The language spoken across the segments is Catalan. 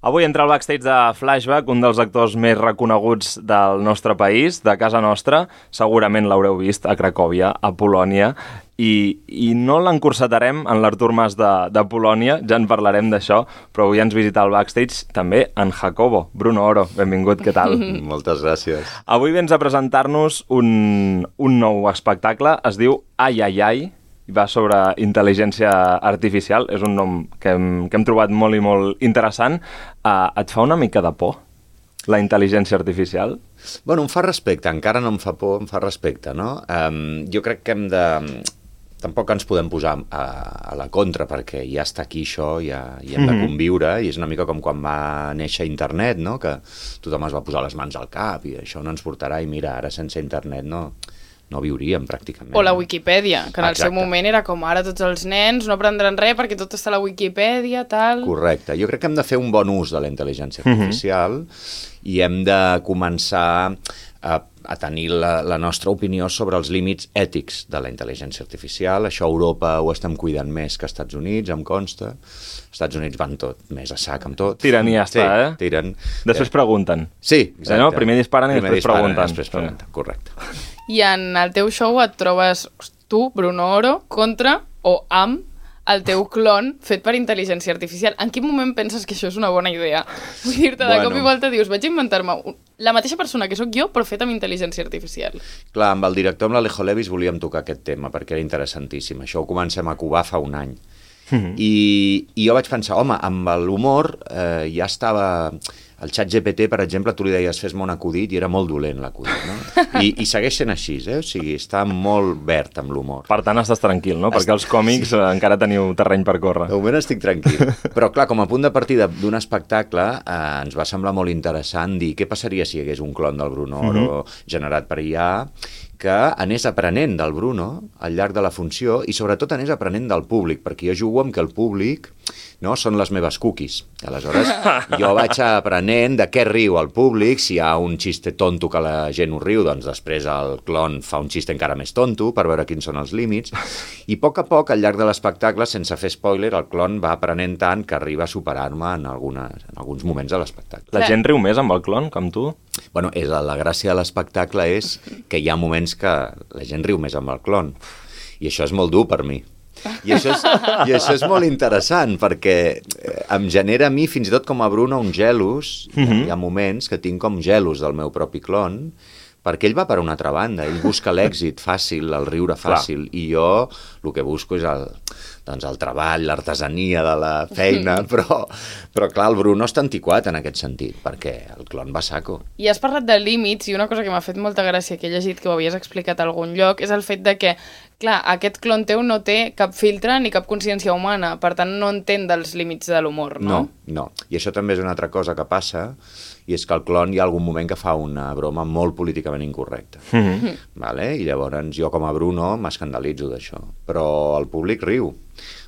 Avui entra al backstage de Flashback, un dels actors més reconeguts del nostre país, de casa nostra. Segurament l'haureu vist a Cracòvia, a Polònia, i no l'encursetarem en l'Artur Mas de Polònia, ja en parlarem d'això, però avui ens visita al backstage també en Jacobo. Bruno Oro, benvingut, què tal? Moltes gràcies. Avui vens a presentar-nos un nou espectacle, es diu Ai, ai, ai, i va sobre intel·ligència artificial. És un nom que hem trobat molt i molt interessant. Et fa una mica de por, la intel·ligència artificial? Bueno, em fa respecte, encara no em fa por, em fa respecte, no? Jo crec que hem de... Tampoc ens podem posar a la contra, perquè ja està aquí això, ja hi hem de conviure, i és una mica com quan va néixer internet, no? Que tothom es va posar les mans al cap, i això no ens portarà, i mira, ara sense internet no viuríem pràcticament. O la Wikipedia, que en el seu moment era com ara tots els nens no aprendran res perquè tot està a la Wikipedia, tal... Correcte. Jo crec que hem de fer un bon ús de la intel·ligència artificial i hem de començar a tenir la nostra opinió sobre els límits ètics de la intel·ligència artificial. Això a Europa ho estem cuidant més que als Estats Units, em consta. Els Estats Units van tot, més a sac amb tot. Tiren i ja està, sí, tiren. Després pregunten. Sí, exacte. No? Primer disparen i després pregunten. Després pregunten, correcte. I en el teu show et trobes tu, Bruno Oro, contra o amb el teu clon fet per intel·ligència artificial. En quin moment penses que això és una bona idea? Vull dir-te, de cop i volta dius, vaig inventar-me la mateixa persona que sóc jo, però fet amb intel·ligència artificial. Clar, amb el director, amb l'Alejo Levis, volíem tocar aquest tema, perquè era interessantíssim. Això ho comencem a covar fa un any. I jo vaig pensar, home, amb l'humor ja estava... El xat GPT, per exemple, tu li deies fes-me un acudit i era molt dolent l'acudit, no? I segueix sent així, O sigui, està molt verd amb l'humor. Per tant, estàs tranquil, no? Perquè els còmics encara teniu terreny per córrer. De moment estic tranquil. Però, clar, com a punt de partida d'un espectacle, ens va semblar molt interessant dir què passaria si hi hagués un clon del Bruno Oro generat per IA que anés aprenent del Bruno al llarg de la funció i sobretot anés aprenent del públic, perquè jo jugo amb que el públic són les meves cookies. Aleshores, jo vaig aprenent de què riu el públic, si hi ha un xiste tonto que la gent ho riu, doncs després el clon fa un xiste encara més tonto per veure quins són els límits, i a poc, al llarg de l'espectacle, sense fer spoiler, el clon va aprenent tant que arriba a superar-me en alguns moments de l'espectacle. La gent riu més amb el clon, com tu? Bueno, la gràcia de l'espectacle és que hi ha moments que la gent riu més amb el clon, i això és molt dur per mi. I això és molt interessant, perquè em genera a mi, fins i tot com a Bruno, un gelos. Hi ha moments que tinc com gelos del meu propi clon, perquè ell va per una altra banda, ell busca l'èxit fàcil, el riure fàcil, i jo el que busco és el treball, l'artesania de la feina, però clar, el Bruno està antiquat en aquest sentit, perquè el clon va saco. I has parlat de límits, i una cosa que m'ha fet molta gràcia, que he llegit que ho havies explicat a algun lloc, és el fet de que, clar, aquest clon teu no té cap filtre ni cap consciència humana, per tant no entén dels límits de l'humor, no? No. I això també és una altra cosa que passa, i és que el clon hi ha algun moment que fa una broma molt políticament incorrecta. Vale? I llavors jo com a Bruno m'escandalitzo d'això, però el públic riu.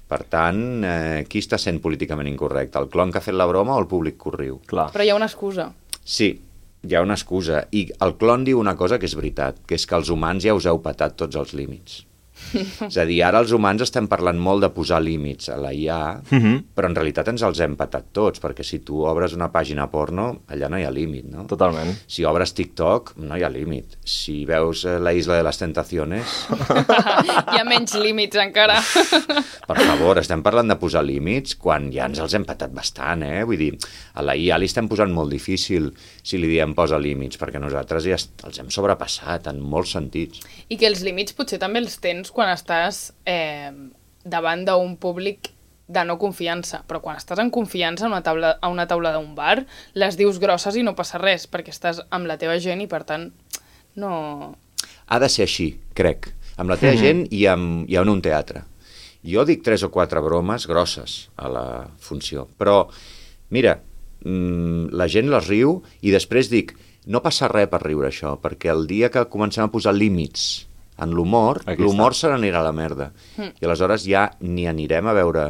Per tant, qui està sent políticament incorrecte? El clon que ha fet la broma o el públic que ho riu? Clar. Però hi ha una excusa. Sí, hi ha una excusa. I el clon diu una cosa que és veritat, que és que els humans ja us heu patat tots els límits. És a dir, ara els humans estem parlant molt de posar límits a la IA, però en realitat ens els hem patat tots, perquè si tu obres una pàgina porno, allà no hi ha límit, no? Totalment. Si obres TikTok, no hi ha límit. Si veus La isla de les tentaciones... Hi ha menys límits encara. Per favor, estem parlant de posar límits quan ja ens els hem patat bastant, Vull dir, a la IA li estem posant molt difícil si li diem posa límits, perquè nosaltres ja els hem sobrepassat en molts sentits. I que els límits potser també els tens quan estàs davant d'un públic de no confiança, però quan estàs en confiança a una taula d'un bar, les dius grosses i no passa res, perquè estàs amb la teva gent i per tant no... Ha de ser així, crec, amb la teva gent i en un teatre. Jo dic 3 o 4 bromes grosses a la funció, però mira, la gent les riu i després dic, no passa res per riure això, perquè el dia que comencem a posar límits en l'humor se n'anirà a la merda. I aleshores ja ni anirem a veure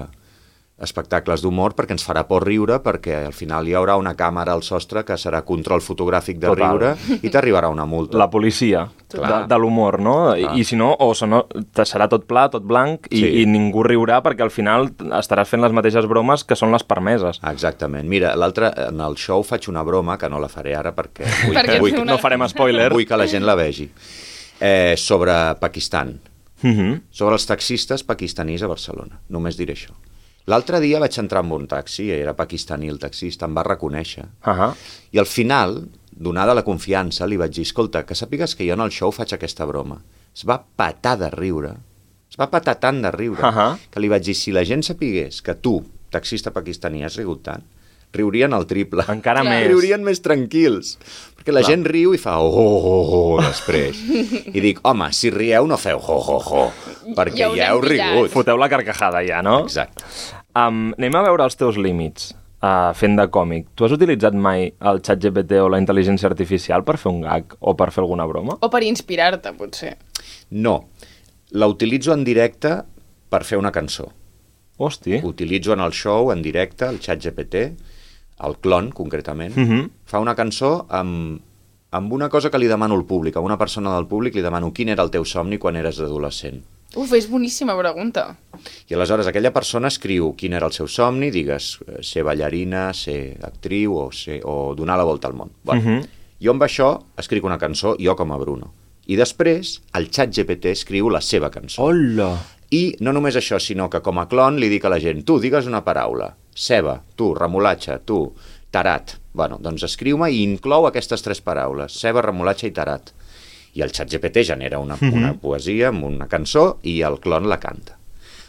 espectacles d'humor perquè ens farà por riure, perquè al final hi haurà una càmera al sostre que serà control fotogràfic de riure i t'arribarà una multa. La policia de l'humor, no? I si no, serà tot pla, tot blanc i ningú riurà perquè al final estaràs fent les mateixes bromes que són les permeses. Exactament. Mira, l'altre, en el show faig una broma, que no la faré ara perquè no farem spoiler. Vull que la gent la vegi. Sobre Pakistan. Sobre els taxistes pakistanis a Barcelona. Només diré això. L'altre dia vaig entrar en un taxi, era pakistaní el taxista, em va reconèixer. I al final, donada la confiança, li vaig dir, escolta, que sàpigues que jo en el show faig aquesta broma. Es va patar de riure, es va patar tant de riure, que li vaig dir, si la gent sapigués que tu, taxista pakistaní, has rigut tant, riurien el triple. Encara més. Riurien més tranquils. Perquè la gent riu i fa després. I dic, home, si rieu no feu perquè ja heu rigut. Foteu la carcajada ja, no? Exacte. Anem a veure els teus límits fent de còmic. Tu has utilitzat mai el ChatGPT o la intel·ligència artificial per fer un gag o per fer alguna broma? O per inspirar-te, potser. No. La utilitzo en directe per fer una cançó. Hosti. Utilitzo en el show, en directe, el ChatGPT, el clon, concretament. Fa una cançó amb una cosa que li demano al públic, a una persona del públic li demano quin era el teu somni quan eres adolescent. És boníssima pregunta. I aleshores aquella persona escriu quin era el seu somni, digues, ser ballarina, ser actriu o donar la volta al món. Bueno, jo amb això escric una cançó, jo com a Bruno. I després el ChatGPT escriu la seva cançó. Hola! I no només això, sinó que com a clon li dic a la gent, tu, digues una paraula, ceba, tu, remolatxa, tu, tarat. Bueno, doncs escriu-me i inclou aquestes 3 paraules, ceba, remolatxa i tarat. I el ChatGPT genera una poesia amb una cançó i el clon la canta.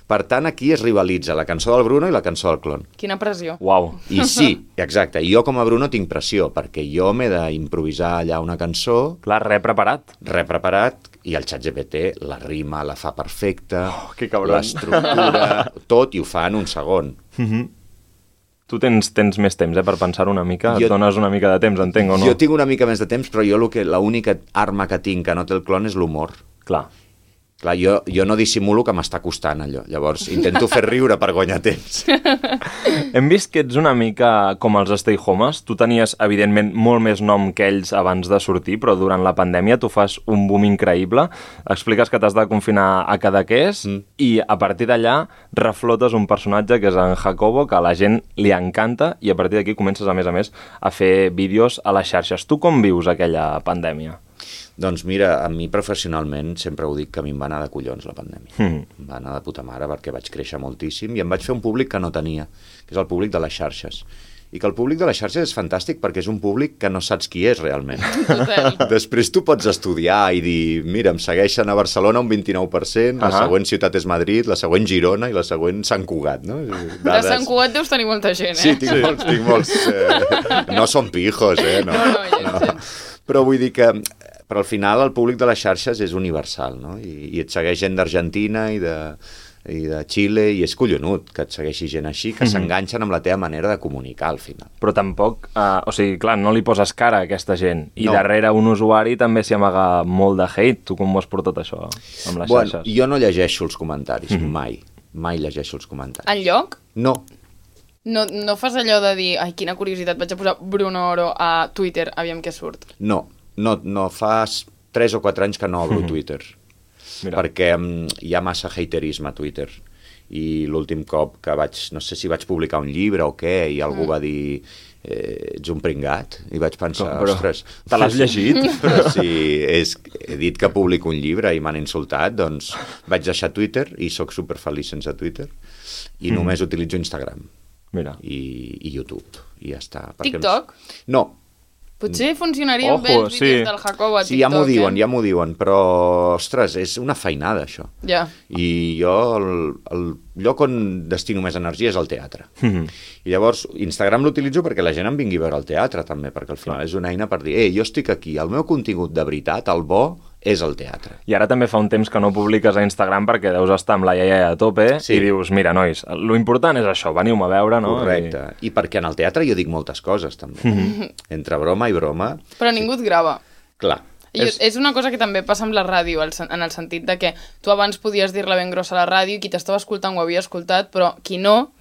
Per tant, aquí es rivalitza la cançó del Bruno i la cançó del clon. Quina pressió. Uau. I sí, exacte. Jo com a Bruno tinc pressió, perquè jo m'he d'improvisar allà una cançó... Clar, preparat. Preparat, i el ChatGPT la rima, la fa perfecta, que cabron. L'estructura, tot, i ho fa en un segon. Tu tens més temps per pensar una mica? Et dones una mica de temps, entenc, o no? Jo tinc una mica més de temps, però jo l'única arma que tinc que no té el clon és l'humor. Clar, jo no dissimulo que m'està costant allò. Llavors, intento fer riure per guanyar temps. Hem vist que ets una mica com els Stay Homes. Tu tenies, evidentment, molt més nom que ells abans de sortir, però durant la pandèmia tu fas un boom increïble. Expliques que t'has de confinar a Cadaqués i a partir d'allà reflotes un personatge que és en Jacobo, que a la gent li encanta, i a partir d'aquí comences, a més, a fer vídeos a les xarxes. Tu com vius aquella pandèmia? Doncs mira, a mi professionalment sempre ho dic que a mi em va anar de collons la pandèmia. Em va anar de puta mare perquè vaig créixer moltíssim i em vaig fer un públic que no tenia, que és el públic de les xarxes. I que el públic de les xarxes és fantàstic perquè és un públic que no saps qui és realment. Després tu pots estudiar i dir, mira, em segueixen a Barcelona un 29%, la següent ciutat és Madrid, la següent Girona i la següent Sant Cugat, no? De Sant Cugat deus tenir molta gent, Sí, tinc molts. No són pijos, No. Però vull dir que... Però al final el públic de les xarxes és universal, no? I et segueix gent d'Argentina i de Xile, i és collonut que et segueixi gent així, que s'enganxen amb la teva manera de comunicar al final. Però tampoc, o sigui, clar, no li poses cara a aquesta gent, i darrere un usuari també s'hi amaga molt de hate. Tu com ho has portat això amb les xarxes? Jo no llegeixo els comentaris, mai llegeixo els comentaris. Enlloc? No. No fas allò de dir, ai, quina curiositat, vaig a posar Bruno Oro a Twitter, aviam què surt. No fas 3 o 4 anys que no obro Twitter. Mira. Perquè hi ha massa haterisme a Twitter. I l'últim cop que no sé si vaig publicar un llibre o què, i algú va dir ets un pringat, i vaig pensar, ostres... Te l'has llegit? Però si he dit que publico un llibre i m'han insultat, doncs vaig deixar Twitter i sóc superfeliç sense Twitter i només utilitzo Instagram. Mira. I YouTube, i ja està. TikTok? No. Potser funcionarien bé els vídeos del Jacobo a TikTok. Sí, ja m'ho diuen, però, ostres, és una feinada, això. Ja. I jo, el lloc on destino més energia és al teatre. I llavors, Instagram l'utilitzo perquè la gent em vingui a veure al teatre, també, perquè al final és una eina per dir, jo estic aquí, el meu contingut de veritat, el bo, és el teatre. I ara també fa un temps que no publiques a Instagram perquè deus estar amb la iaia a tope i dius, mira, nois, lo important és això, veniu-me a veure, no? Correcte. I perquè en el teatre jo dic moltes coses, també. Entre broma i broma. Però ningú et grava. Clar. És una cosa que també passa amb la ràdio, en el sentit de que tu abans podies dir-la ben grossa a la ràdio i qui t'estava escoltant ho havia escoltat, però qui no,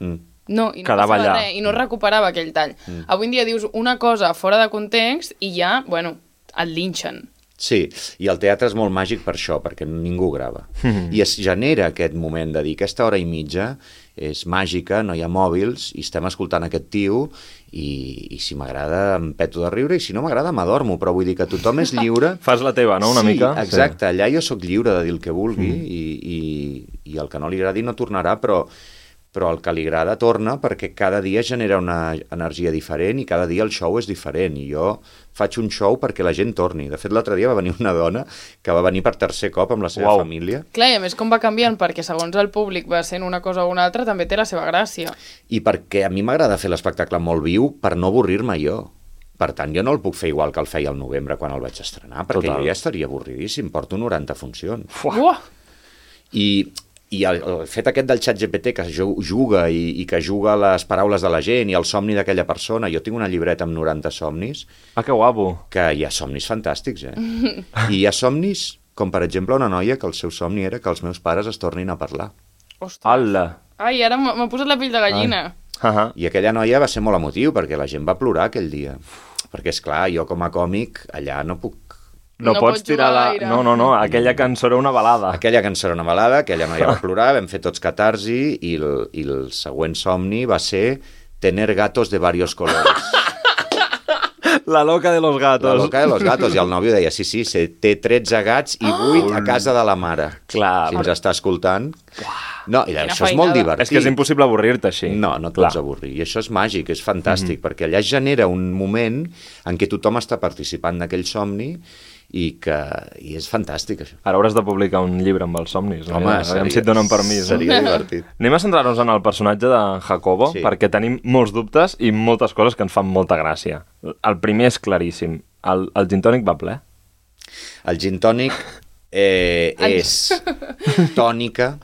No, i no Quedava passava allà. res, i no recuperava aquell tall. Avui en dia dius una cosa fora de context i ja, bueno, et linxen. Sí, i el teatre és molt màgic per això, perquè ningú grava. I es genera aquest moment de dir aquesta hora i mitja és màgica, no hi ha mòbils, i estem escoltant aquest tio, i si m'agrada em peto de riure, i si no m'agrada m'adormo, però vull dir que tothom és lliure. Fas la teva, no?, una mica? Sí, exacte, allà jo sóc lliure de dir el que vulgui, i el que no li agradi no tornarà, però el que li agrada torna perquè cada dia genera una energia diferent i cada dia el show és diferent i jo faig un show perquè la gent torni. De fet, l'altre dia va venir una dona que va venir per tercer cop amb la seva família. Clar, i a més com va canviant perquè segons el públic va sent una cosa o una altra també té la seva gràcia. I perquè a mi m'agrada fer l'espectacle molt viu per no avorrir-me jo. Per tant, jo no el puc fer igual que el feia al novembre quan el vaig estrenar, perquè jo ja estaria avorridíssim, porto 90 funcions. Uah! I el fet aquest del ChatGPT que juga i que juga les paraules de la gent i el somni d'aquella persona, jo tinc una llibreta amb 90 somnis. Ah, que guapo. Que hi ha somnis fantàstics, I hi ha somnis, com per exemple una noia que el seu somni era que els meus pares es tornin a parlar. Ostres. Ala. Ai, ara m'ha posat la pell de gallina. I aquella noia va ser molt emotiu perquè la gent va plorar aquell dia. Perquè, és clar, jo com a còmic allà no puc... No pots tirar la... gaire. No, aquella cançó era una balada. Aquella cançó era una balada, aquella noia va plorar, vam fer tots catarsi i el següent somni va ser tener gatos de varios colores. La loca de los gatos. La loca de los gatos. I el nòvio deia, sí, té 13 gats i 8 a casa de la mare. Clar. Si ens està escoltant... No, i això és molt divertit. És que és impossible avorrir-te així. No et pots avorrir. I això és màgic, és fantàstic, perquè allà es genera un moment en què tothom està participant d'aquell somni i és fantàstic, això. Ara hauràs de publicar un llibre amb els somnis. Home, aviam si et donen permís. Seria divertit. Anem a centrar-nos en el personatge de Jacobo, perquè tenim molts dubtes i moltes coses que ens fan molta gràcia. El primer és claríssim. El gin tònic va ple? El gin tònic és tònica.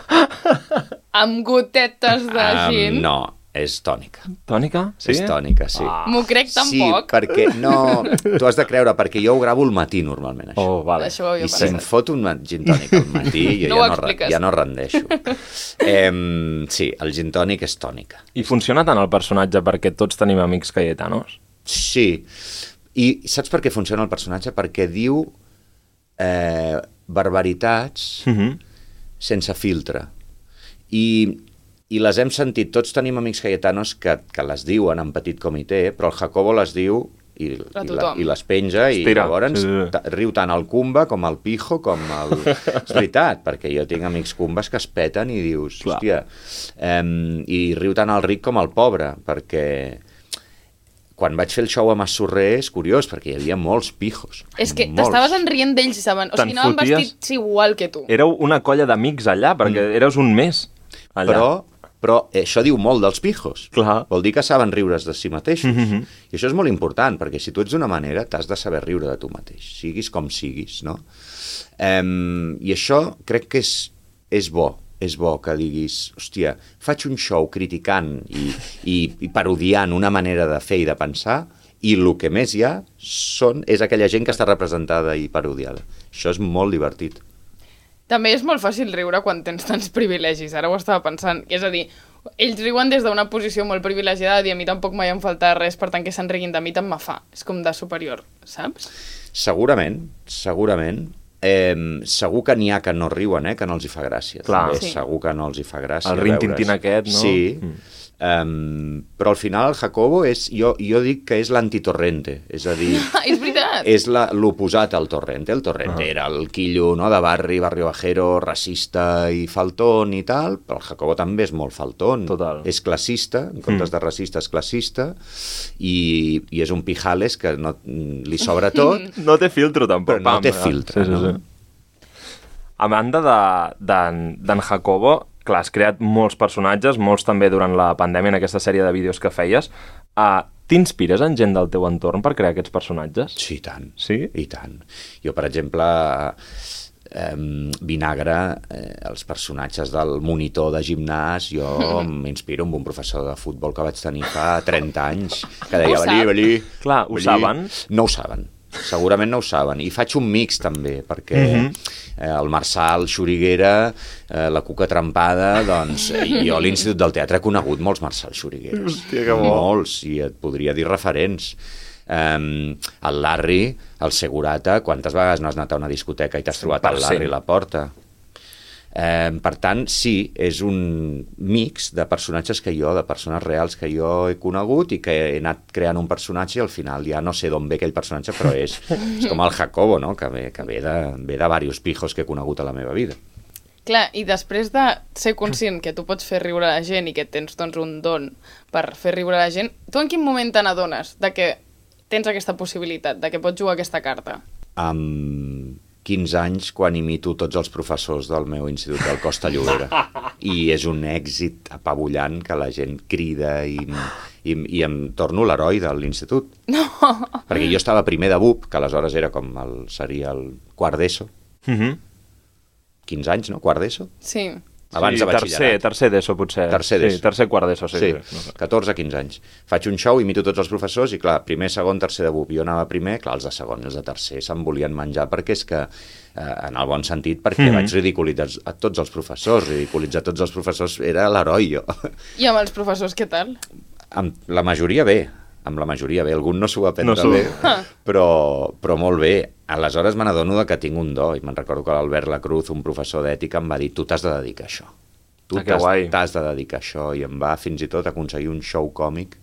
Amb gotetes de gin? No, és tònica. Tònica? Sí? És tònica, sí. M'ho crec tampoc. Sí, perquè no... Tu has de creure, perquè jo ho gravo al matí normalment, això. Oh, vale. Això ho havia I si em fot un gin tònic al matí, jo ja no rendeixo. Sí, el gin tònic és tònica. I funciona tant el personatge perquè tots tenim amics cayetanos? Sí. I saps per què funciona el personatge? Perquè diu barbaritats sense filtre. I les hem sentit, tots tenim amics cayetanos que les diuen en petit comitè, però el Jacobo les diu i les penja i llavors riu tant el Cumba com el Pijo com el... És veritat, perquè jo tinc amics Cumbas que es peten i dius, hòstia, i riu tant el ric com el pobre, perquè quan vaig fer el show a Massorrer és curiós, perquè hi havia molts pijos. És que t'estaves enrient d'ells i saben... O sigui, anaven vestits igual que tu. Éreu una colla d'amics allà, perquè eres un mes allà. Però això diu molt dels pijos. Clar. Vol dir que saben riure's de si mateixos. I això és molt important, perquè si tu ets d'una manera, t'has de saber riure de tu mateix, siguis com siguis, no? I això crec que és bo. És bo que diguis, hòstia, faig un show criticant i parodiant una manera de fer i de pensar, i el que més hi ha és aquella gent que està representada i parodiada. Això és molt divertit. També és molt fàcil riure quan tens tants privilegis, ara ho estava pensant. És a dir, ells riuen des d'una posició molt privilegiada i a mi tampoc mai em falta res, per tant que se'n riguin de mi tant me fa. És com de superior, saps? Segurament. Segur que n'hi ha que no riuen, que no els hi fa gràcia. Clar. Segur que no els hi fa gràcia. El rintintín aquest, no? Sí. Però al final el Jacobo jo dic que és l'antitorrente, és a dir... És veritat! És l'oposat al Torrente. El Torrente era el quillo, no, de barrio bajero, racista i faltón i tal, però el Jacobo també és molt faltón. Total. És classista, en comptes de racista és classista, i és un pijales que li sobra tot. No té filtro, tampoc. Però no té filtre, no? A banda d'en Jacobo, clar, has creat molts personatges, molts també durant la pandèmia, en aquesta sèrie de vídeos que feies. T'inspires en gent del teu entorn per crear aquests personatges? Sí, i tant. Sí? I tant. Jo, per exemple, Vinagre, els personatges del monitor de gimnàs, jo m'inspiro amb un professor de futbol que vaig tenir fa 30 anys, que deia, valí. Clar, ho saben? No ho saben. segurament no ho saben. I faig un mix, també, perquè el Marçal, Xuriguera, la Cuca Trempada, doncs, jo a l'Institut del Teatre he conegut molts Marçal Xurigueres. Hòstia, que bo. Molts, i et podria dir referents. El Larry, el Segurata, quantes vegades no has anat a una discoteca i t'has trobat el Larry a la porta? Per tant, sí, és un mix de personatges de persones reals que jo he conegut i que he anat creant un personatge i al final ja no sé d'on ve aquell personatge, però és com el Jacobo, no? que ve de diversos pijos que he conegut a la meva vida. Clar, i després de ser conscient que tu pots fer riure la gent i que tens doncs, un don per fer riure la gent, tu en quin moment te n'adones de que tens aquesta possibilitat, de que pots jugar aquesta carta? Amb 15 anys, quan imito tots els professors del meu institut del Costa Llobera. I és un èxit apabullant que la gent crida i em torno l'heroi de l'institut. No! Perquè jo estava primer de BUP, que aleshores era seria el quart d'ESO. 15 anys, no? Quart d'ESO? Sí. Abans de batxillerat. Tercer d'ESO, potser. Tercer d'ESO. Sí, tercer quart d'ESO, sí. 14-15 anys. Faig un show, imito tots els professors i, clar, primer, segon, tercer de BUP. Jo anava primer, clar, els de segon i els de tercer se'm volien menjar perquè és que, en el bon sentit, perquè vaig ridiculitzar a tots els professors. Ridiculitzar tots els professors era l'heroi, jo. I amb els professors, què tal? Amb la majoria bé. Algun no s'ho va prendre bé, però molt bé. Aleshores me n'adono que tinc un do, i me'n recordo que l'Albert Lacruz, un professor d'ètica, em va dir: tu t'has de dedicar a això. Tu t'has de dedicar a això, i em va fins i tot aconseguir un show còmic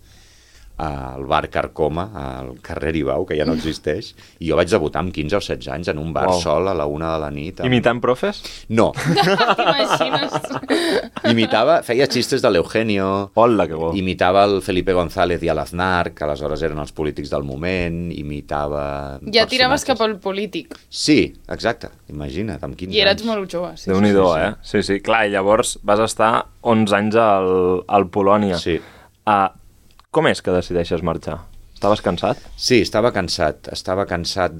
al bar Carcoma, al carrer Ibau, que ja no existeix, i jo vaig debutar amb 15 o 16 anys en un bar sol a la 1 de la nit. Imitant profes? No. T'imagines? Feia xistes de l'Eugenio, Hola, que bo. imitava el Felipe González i l'Aznar, que aleshores eren els polítics del moment, imitava... Ja tiraves cap al polític. Sí, exacte, imagina't, amb 15 anys. I eres molt jove. Sí. Déu-n'hi-do, sí. Sí. Clar, i llavors vas estar 11 anys al Polònia. Sí. Com és que decideixes marxar? Estaves cansat? Sí, estava cansat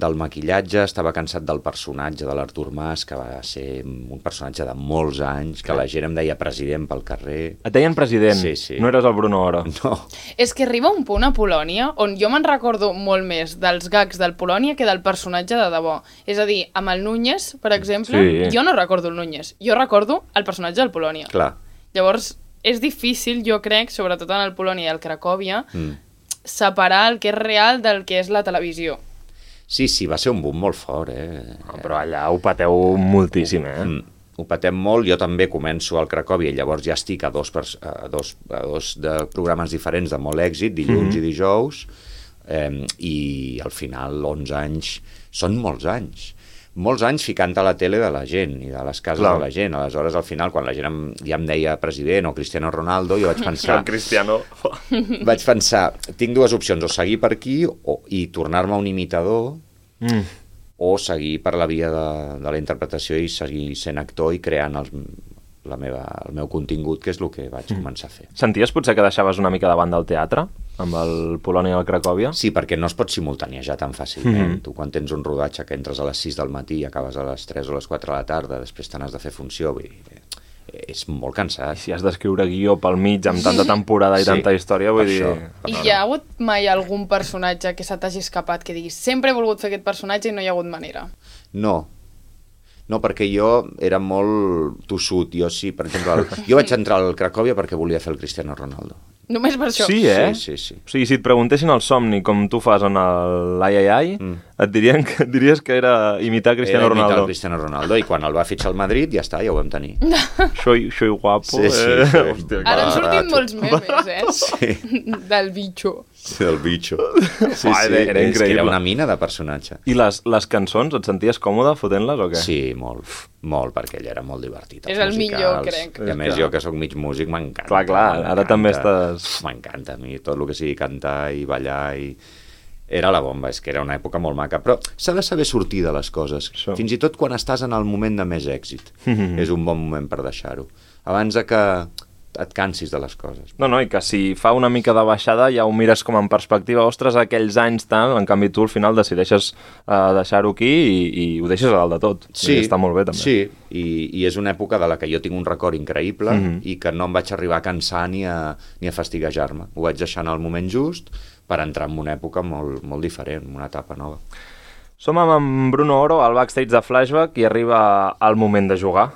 del maquillatge, estava cansat del personatge de l'Artur Mas, que va ser un personatge de molts anys, que la gent em deia president pel carrer. Et deien president? Sí. No eres el Bruno Oro? No. És que arriba un punt a Polònia on jo me'n recordo molt més dels gags del Polònia que del personatge de debò. És a dir, amb el Núñez, per exemple, jo no recordo el Núñez, jo recordo el personatge del Polònia. Clar. Llavors, és difícil, jo crec, sobretot en el Polònia i el Cracòvia, separar el que és real del que és la televisió. Sí, va ser un boom molt fort, Però allà ho pateu moltíssim, Ho patem molt, jo també començo al Cracòvia i llavors ja estic a dos de programes diferents de molt èxit, dilluns i dijous, i al final 11 anys són molts anys ficant a la tele de la gent i de les cases de la gent. Aleshores, al final, quan la gent ja em deia president o Cristiano Ronaldo, jo vaig pensar... Cristiano... Vaig pensar, tinc dues opcions, o seguir per aquí i tornar-me un imitador, o seguir per la via de la interpretació i seguir sent actor i creant el meu contingut, que és el que vaig començar a fer. Senties potser que deixaves una mica de banda el teatre amb el Polònia i el Cracòvia? Sí, perquè no es pot simultaniejar tan fàcilment. Tu quan tens un rodatge que entres a les 6 del matí i acabes a les 3 o les 4 de la tarda, després te n'has de fer funció, és molt cansat. I si has d'escriure guió pel mig amb tanta temporada i tanta història, vull dir... I hi ha hagut mai algun personatge que se t'hagi escapat que diguis sempre he volgut fer aquest personatge i no hi ha hagut manera? No, perquè jo era molt tossut. Jo sí, per exemple, jo vaig entrar al Cracòvia perquè volia fer el Cristiano Ronaldo. Només per això? Sí, Sí. O sigui, si et preguntessin el somni com tu fas en l'Ai, et diries que era imitar Cristiano Ronaldo. Era imitar el Cristiano Ronaldo i quan el va fitxar al Madrid ja està, ja ho vam tenir. Soy guapo. Sí. Hòstia, ara han sortit molts memes, Sí. Del bitxo. Sí, del bitxo. Sí, era increïble. És que era una mina de personatge. I les cançons, et senties còmode fotent-les o què? Sí, molt, perquè ell era molt divertit. És el millor, crec. I a més, jo que sóc mig músic, m'encanta. Clar, ara també estàs... M'encanta a mi tot el que sigui cantar i ballar i... Era la bomba, és que era una època molt maca, però s'ha de saber sortir de les coses. Fins i tot quan estàs en el moment de més èxit. És un bon moment per deixar-ho. Abans de que et cansis de les coses. No, i que si fa una mica de baixada ja ho mires com en perspectiva, ostres, aquells anys tant, en canvi tu al final decideixes deixar-ho aquí i ho deixes a dalt de tot. Sí, està molt bé també. Sí, i és una època de la que jo tinc un record increïble i que no em vaig arribar a cansar ni a fastiguejar-me. Ho vaig deixar en el moment just per entrar en una època molt diferent, una etapa nova. Som amb en Bruno Oro al backstage de Flashback i arriba el moment de jugar.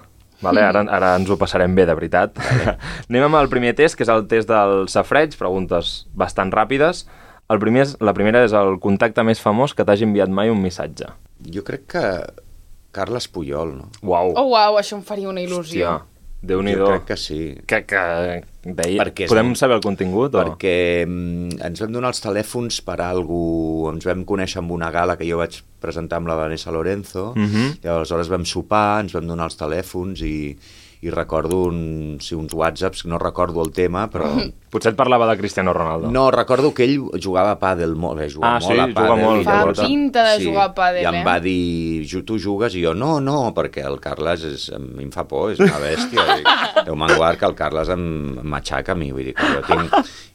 Vale? Ara ens ho passarem bé, de veritat. Vale. Anem amb el primer test, que és el test del safareig, preguntes bastant ràpides. La primera és el contacte més famós que t'hagi enviat mai un missatge. Jo crec que Carles Puyol, no? Uau. Oh, uau, això em faria una il·lusió. Hòstia, Déu-n'hi-do. Jo crec que sí. Que deia... Podem saber el contingut? Perquè ens vam donar els telèfons per ens vam conèixer amb una gala que jo vaig presentar amb la Vanessa Lorenzo, i aleshores vam sopar, ens vam donar els telèfons i recordo uns whatsapps, no recordo el tema, però... Potser et parlava de Cristiano Ronaldo. No, recordo que ell jugava a pàdel, juga molt a pàdel. Molt. Fa pinta de jugar a pàdel, I em va dir, tu jugues? I jo, no, perquè el Carles a mi em fa por, és una bèstia. Déu-me'n guard que el Carles em matxaca a mi, vull dir que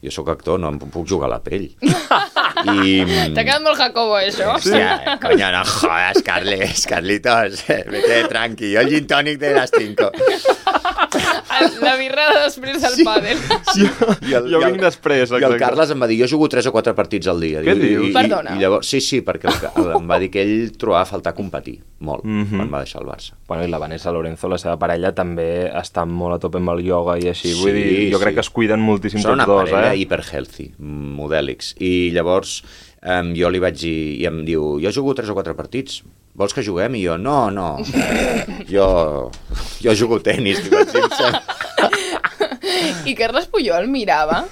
jo sóc actor, no em puc jugar a la pell. T'ha quedat molt Jacobo, això. Hòstia, coño, no jodas, Carlitos, vete tranqui, jo el gin tònic de las 5. La birra després del pàdel. Jo vinc després, exacte. I el Carles em va dir, jo jugo 3 o 4 partits al dia. Què dius? Perdona. I llavors, sí, perquè em va dir que ell trobava a faltar competir, molt, quan va deixar el Barça. Bueno, i la Vanessa Lorenzo, la seva parella, també està molt a tope amb el ioga i així. Vull dir, jo crec que es cuiden moltíssim tots dos, Són una parella hiperhealthy, modèlics. I llavors jo li vaig dir, i em diu, jo jugo 3 o 4 partits, vols que juguem? I jo, no, jo jugo tenis. I Carles Puyol mirava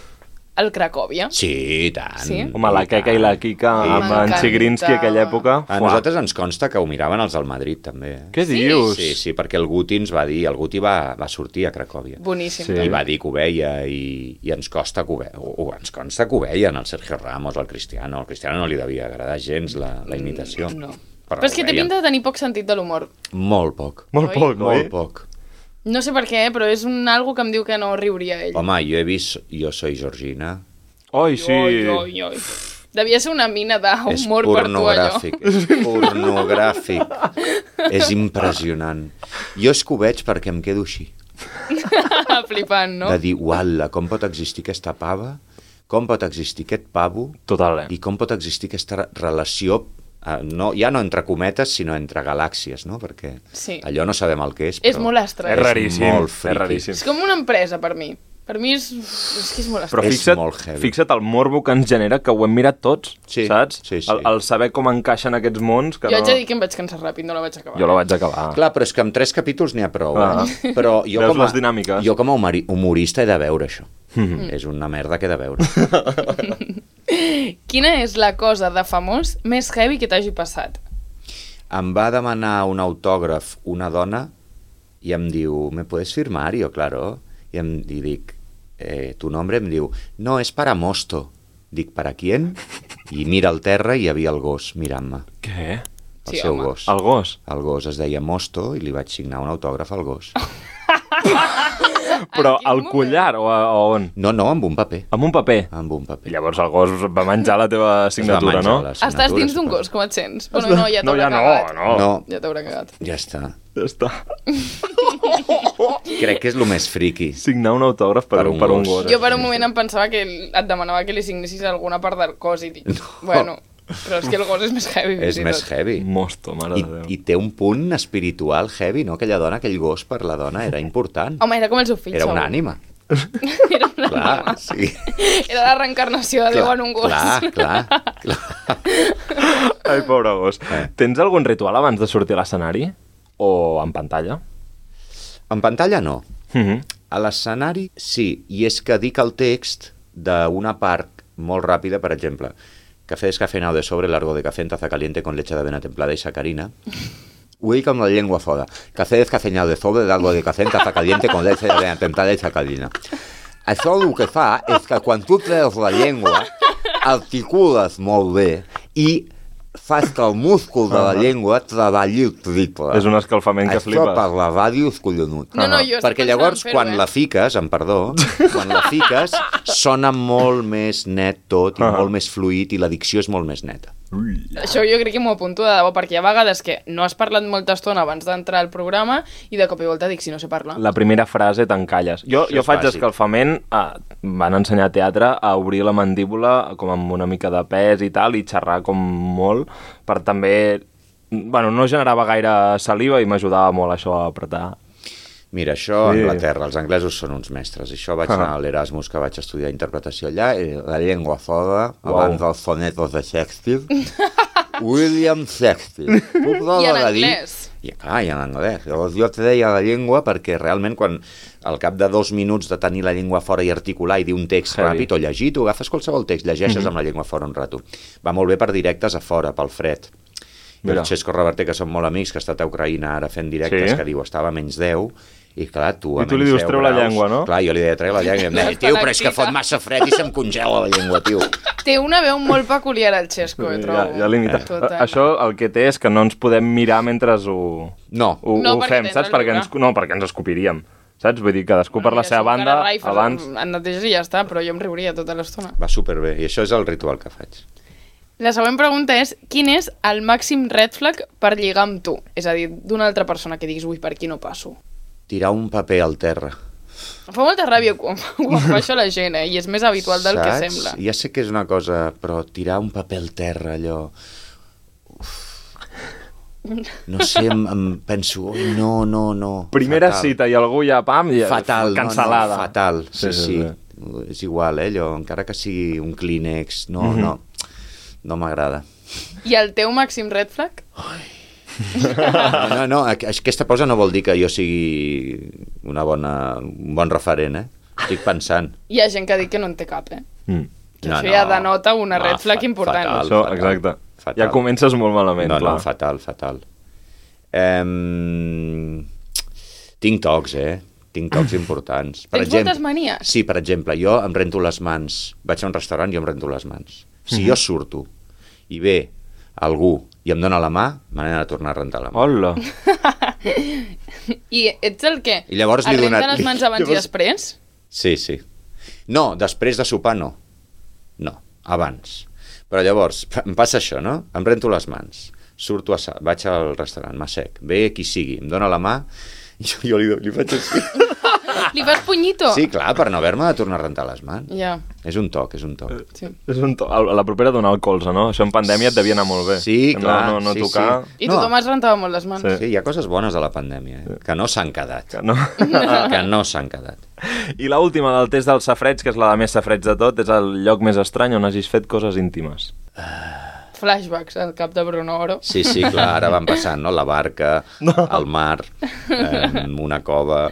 el Cracòvia. Sí, i tant. Sí? Home, la Queca i la Quica amb en Chigrinsky aquella època. A nosaltres ens consta que ho miraven els del Madrid, també. Què dius? Sí, perquè el Guti ens va dir, el Guti va sortir a Cracòvia. Boníssim. Sí. I va dir que ho veia, i ens consta que ens consta que ho veien, el Sergio Ramos, el Cristiano. Al Cristiano no li devia agradar gens la imitació. No. Però és que té pinta de tenir poc sentit de l'humor. Molt poc. Molt poc, oi? Molt poc. No sé per què, però és algo que em diu que no riuria ell. Home, jo he vist Jo soy Georgina. Oi, sí. Oi. Devia ser una mina d'humor per tu, allò. És pornogràfic. És impressionant. Jo és que ho veig perquè em quedo així. Flipant, no? De dir, uala, com pot existir aquesta pava? Com pot existir aquest pavo? Total, I com pot existir aquesta relació, ja no entre cometes, sinó entre galàxies, no? Perquè allò no sabem el que és, però... És molt estrany. És raríssim. Molt friqui. És com una empresa, per mi. Per mi és que és molt Però estrany. fixa't el morbo que ens genera, que ho hem mirat tots, saps? Sí. El saber com encaixen aquests mons... Que jo haig de dir que em vaig cansar ràpid, no la vaig acabar. Jo la vaig acabar. Clar, però és que amb 3 capítols n'hi ha prou. Però jo veus les dinàmiques? Jo com a humorista he de veure això. És una merda que he de veure. Quina és la cosa de famós més heavy que t'hagi passat? Em va demanar un autògraf una dona i em diu, ¿me puedes firmar? I jo, claro. I dic, tu nombre? Em diu, no, és para Mosto. Dic, ¿para quién? I mira al terra i hi havia el gos mirant-me. Què? El seu gos. El gos? El gos es deia Mosto i li vaig signar un autògraf al gos. Però al collar o on? No, amb un paper. Amb un paper? Amb un paper. Llavors el gos va menjar la teva signatura, no? Estàs dins d'un gos, com et sents? Bueno, no, ja t'haurà cagat. No. Ja t'haurà cagat. Ja està. Ja està. Crec que és el més friqui. Signar un autògraf per un gos. Jo per un moment em pensava que et demanava que li signessis alguna part del cos i dic, bueno, però és que el gos és més heavy. És més heavy. Mosto, mare de Déu. I té un punt espiritual heavy, no? Aquella dona, aquell gos per la dona era important. Home, era com el seu fill, Era una ànima. Era una Clar, ànima. sí. Era la reencarnació de Déu en un gos. Clar. Ai, pobre gos. Tens algun ritual abans de sortir a l'escenari? O en pantalla? En pantalla no. A l'escenari sí, i és que dic el text d'una part molt ràpida, per exemple, café descafeinado de sobre, largo de café en taza caliente con leche de avena templada y sacarina. Ho dic amb la llengua fora. Café descafeinado de sobre, largo de café en taza caliente con leche de avena templada y sacarina. Això el que fa és que quan tu treus la llengua, articules molt bé i fas que el múscul de la llengua treballi el triple. És un escalfament que flipes. Això per la ràdio és collonut. No, jo perquè llavors, quan la fiques, quan la fiques, sona molt més net tot i molt més fluid i la dicció és molt més neta. Això jo crec que m'ho apunto de debò, perquè hi ha vegades que no has parlat molta estona abans d'entrar al programa i de cop i volta dic, si no sé parlar. La primera frase t'encalles. Jo faig escalfament, van ensenyar a teatre a obrir la mandíbula com amb una mica de pes i tal, i xerrar com molt, per també Bueno, no generava gaire saliva i m'ajudava molt això a apretar. Mira, això a Anglaterra, els anglesos són uns mestres. Això vaig anar a l'Erasmus, que vaig estudiar interpretació allà, i la llengua fora, abans dels sonetos de Shakespeare, William Shakespeare. I en anglès. I clar, i en anglès. Llavors jo treia la llengua perquè realment quan al cap de 2 minuts de tenir la llengua fora i articular i dir un text ràpid o llegir, tu agafes qualsevol text, llegeixes amb la llengua fora un rato. Va molt bé per directes a fora, pel fred. I el Xesco Reverter, que són molt amics, que ha estat a Ucraïna ara fent directes, que diu, estava a menys 10, i clar, tu a menys 10 graus... I tu li dius, treu la llengua, no? Clar, jo li deia, treu la llengua, i em deia, tio, però és que fot massa fred i se'm congela la llengua, tio. Té una veu molt peculiar, el Xesco, trobo. Ja limita. Això el que té és que no ens podem mirar mentre ho fem, saps? Perquè ens escopiríem. Saps? Vull dir, cadascú per la seva banda, abans... En neteges i ja està, però jo em riuria tota l'estona. Va superbé, i això és el ritual que faig. La següent pregunta és, quin és el màxim red flag per lligar amb tu? És a dir, d'una altra persona que diguis, ui, per aquí no passo. Tirar un paper al terra. Em fa molta ràbia quan fa això la gent, i és més habitual del que sembla. Ja sé que és una cosa, però tirar un paper al terra, allò... No sé, em penso, ui, no. Primera cita i algú ja, pam, fatal, cancel·lada. No, fatal, sí. És igual, allò, encara que sigui un Kleenex, no m'agrada. I el teu màxim red flag? No, aquesta pausa no vol dir que jo sigui un bon referent, Estic pensant. Hi ha gent que diu que no en té cap, Això ja denota una red flag important. Fatal. Exacte. Fatal. Ja comences molt malament, clar. No, fatal. Tinc tocs, Tinc tocs importants. Tens moltes manies? Sí, per exemple, jo em rento les mans. Vaig a un restaurant i jo em rento les mans. Si jo surto i ve algú i em dona la mà, me n'he de tornar a rentar la mà. Hola! I ets el què? I llavors li renta les mans abans i després? Sí. No, després de sopar no. No, abans. Però llavors, em passa això, no? Em rento les mans, surto vaig al restaurant, m'assec, ve qui sigui, em dona la mà, i jo li faig així. Li fas punyito? Sí, clar, per no haver-me de tornar a rentar les mans. Ja. És un toc. Sí. És un toc. A la propera donar el colze, no? Això en pandèmia et devia anar molt bé. Sí, clar. No tocar... Sí. I tothom es rentava molt les mans. Sí, hi ha coses bones a la pandèmia, que no s'han quedat. Que no s'han quedat. I l'última del test del safreig, que és la de més safreig de tot, és el lloc més estrany on hagis fet coses íntimes. Flashbacks al cap de Bruno Oro. Sí, clar, ara van passant, no? La barca, el mar, una cova...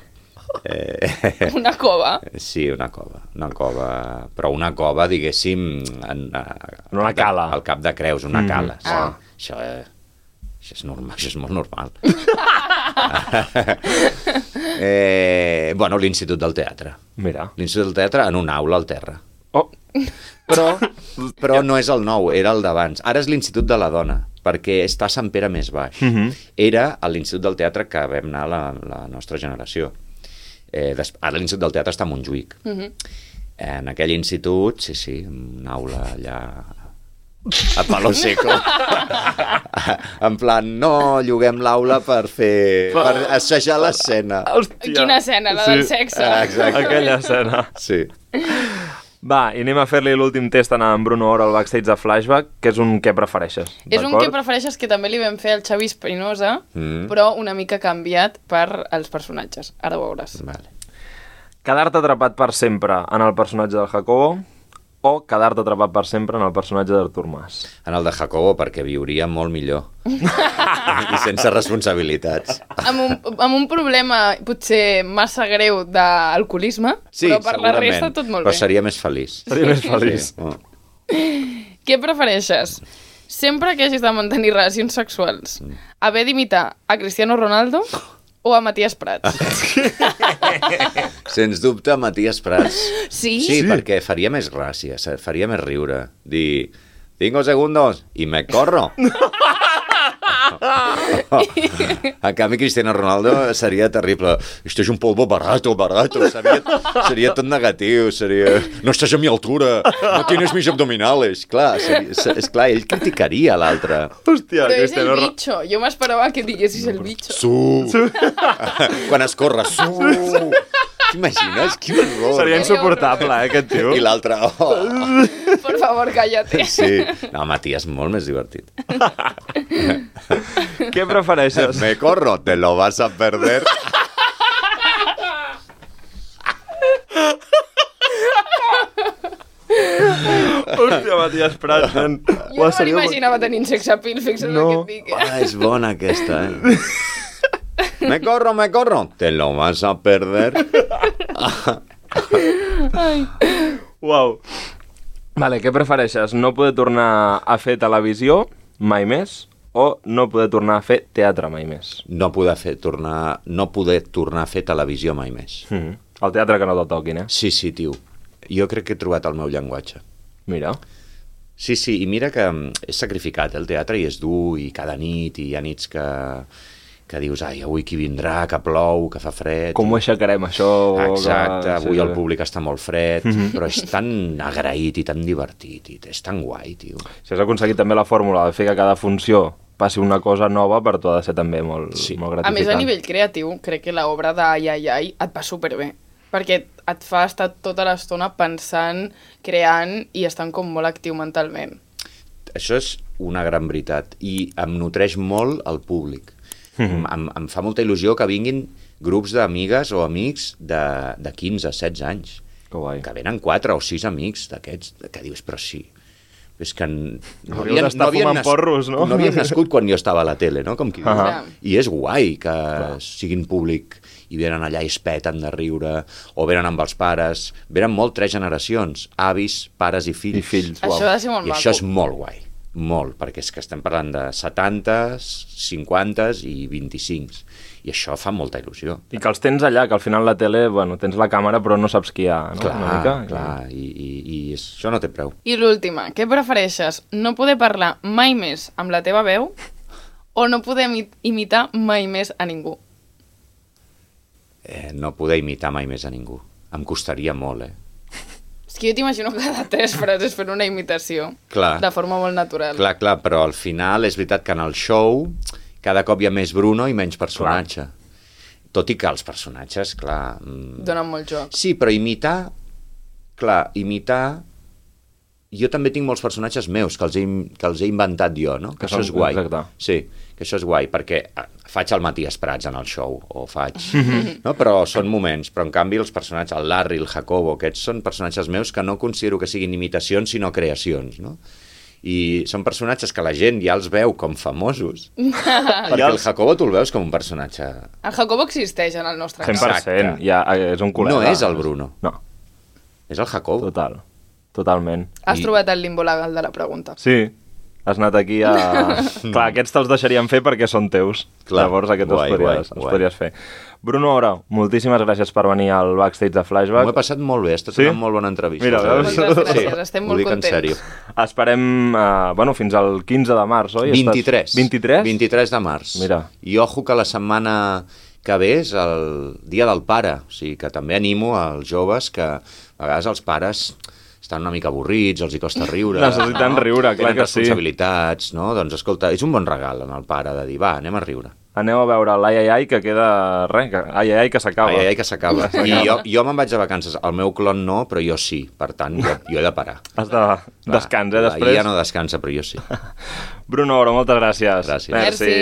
Una cova? Sí, una cova, però una cova, diguéssim, una cala. Al cap de Creus, una cala. Això és normal, això és molt normal. Bueno, l'Institut del Teatre. Mira. L'Institut del Teatre en una aula al terra. Oh. Però no és el nou, era el d'abans. Ara és l'Institut de la Dona, perquè està a Sant Pere més baix. Era a l'Institut del Teatre que vam anar la nostra generació. Ara l'Institut del Teatre està a Montjuïc. En aquell institut, sí, una aula allà a palo seco. En plan, no, lloguem l'aula per assajar l'escena. Quina escena? La del sexe? Exacte. Aquella escena. Sí. Va, i anem a fer-li l'últim test a en Bruno Oro al backstage de Flashback, que és un què prefereixes. És un què prefereixes que també li vam fer al Xavi Espinosa, però una mica canviat per als personatges. Ara ho veuràs. Vale. Quedar-te atrapat per sempre en el personatge del Jacobo o quedar-te atrapat per sempre en el personatge d'Artur Mas? En el de Jacobo, perquè viuria molt millor. I sense responsabilitats. Amb un problema potser massa greu d'alcoholisme, sí, però per la resta tot molt bé. Però seria més feliç. Seria més feliç. Sí. Què prefereixes? Sempre que hagis de mantenir relacions sexuals, haver d'imitar a Cristiano Ronaldo o a Matías Prats? Sens dubte, Matías Prats. Sí? Sí, perquè faria més gràcia, faria més riure. Dir, 5 segundos i me corro. En canvi, Cristiano Ronaldo seria terrible. Esto es un polvo barato. Seria tot negatiu. No estàs a mi altura. No tienes mis abdominales. Clar, esclar, ell criticaria l'altre. Hòstia, però és el bicho. Jo m'esperava que diguessis el bicho. Quan es corre, T'imagines? Quin horror. Seria insuportable, aquest tio. I l'altre, Por favor, cállate. Sí. No, Matías, molt més divertit. Què prefereixes? Me corro, te lo vas a perder. Hòstia, Matías Prats, nen. Jo no m'imaginava tenint sexapil, fixa't No. el que et dic. És bona aquesta, Me corro, te lo vas a perder. Uau. Vale, què prefereixes? No poder tornar a fer televisió mai més o no poder tornar a fer teatre mai més? No poder tornar a fer televisió mai més. El teatre que no te'l toquin, eh? Sí, tio. Jo crec que he trobat el meu llenguatge. Mira. Sí, i mira que és sacrificat, el teatre, i és dur, i cada nit, i hi ha nits que dius, ai, avui qui vindrà, que plou, que fa fred... Com ho aixecarem, això? Exacte, avui sí, el públic està molt fred, però és tan agraït i tan divertit, i és tan guai, tio. Si has aconseguit també la fórmula de fer que cada funció passi una cosa nova, per tu ha de ser també molt, molt gratificant. A més, a nivell creatiu, crec que l'obra d'Ai, ai, ai et va superbé, perquè et fa estar tota l'estona pensant, creant i estant com molt actiu mentalment. Això és una gran veritat, i em nutreix molt el públic. Em fa molta il·lusió que vinguin grups d'amigues o amics de 15, 16 anys. Que venen 4 o 6 amics d'aquests, que dius, però sí, és que no havien nascut quan jo estava a la tele, no? Com qui diu. I és guai que siguin públic i venen allà i es peten de riure, o venen amb els pares, venen molt 3 generacions, avis, pares i fills. Això ha de ser molt maco. I això és molt guai. Molt, perquè és que estem parlant de 70, 50 i 25, i això fa molta il·lusió. I que els tens allà, que al final la tele, bueno, tens la càmera però no saps qui hi ha, no? Clar, i això no té preu. I l'última, què prefereixes? No poder parlar mai més amb la teva veu o no poder imitar mai més a ningú? No poder imitar mai més a ningú. Em costaria molt, És que jo t'imagino cada 3 frases fent una imitació. Clar. De forma molt natural. Clar, però al final és veritat que en el show cada cop hi ha més Bruno i menys personatge. Tot i que els personatges, clar... Donen molt joc. Sí, però imitar... Jo també tinc molts personatges meus que els he inventat jo, no? Que això és guai. Exacte. Sí, que això és guai, perquè faig el Matías Prats en el show, o faig... no? Però són moments, però en canvi els personatges, el Larry, el Jacobo, aquests són personatges meus que no considero que siguin imitacions, sinó creacions, no? I són personatges que la gent ja els veu com famosos, perquè el Jacobo tu el veus com un personatge... El Jacobo existeix en el nostre cas. 100%, ja és un col·lega. No és el Bruno. No. És el Jacobo. Totalment. Has trobat el limbo legal de la pregunta. Sí, has anat aquí a... Clar, aquests te'ls deixaríem fer perquè són teus. Clar. Llavors aquests els podries fer. Bruno Ora, moltíssimes gràcies per venir al backstage de Flashback. M'ho he passat molt bé, ha estat una molt bona entrevista. Mira, moltes gràcies, estem molt contents. Esperem, fins al 15 de març, oi? 23. 23? 23 de març. Mira. I ojo que la setmana que ve és el Dia del Pare, o sigui que també animo als joves que a vegades els pares estan una mica avorrits, els hi costa riure. Necessiten riure, clar que sí. Tenen responsabilitats, no? Doncs escolta, és un bon regal en el pare de dir, va, anem a riure. Aneu a veure l'Ai, ai, ai, que queda res, ai, ai, que s'acaba. Ai, ai, que s'acaba. I jo me'n vaig de vacances. El meu clon no, però jo sí. Per tant, jo he de parar. Has de descans, després? Ja no descansa, però jo sí. Bruno Ora, moltes gràcies. Gràcies. Merci.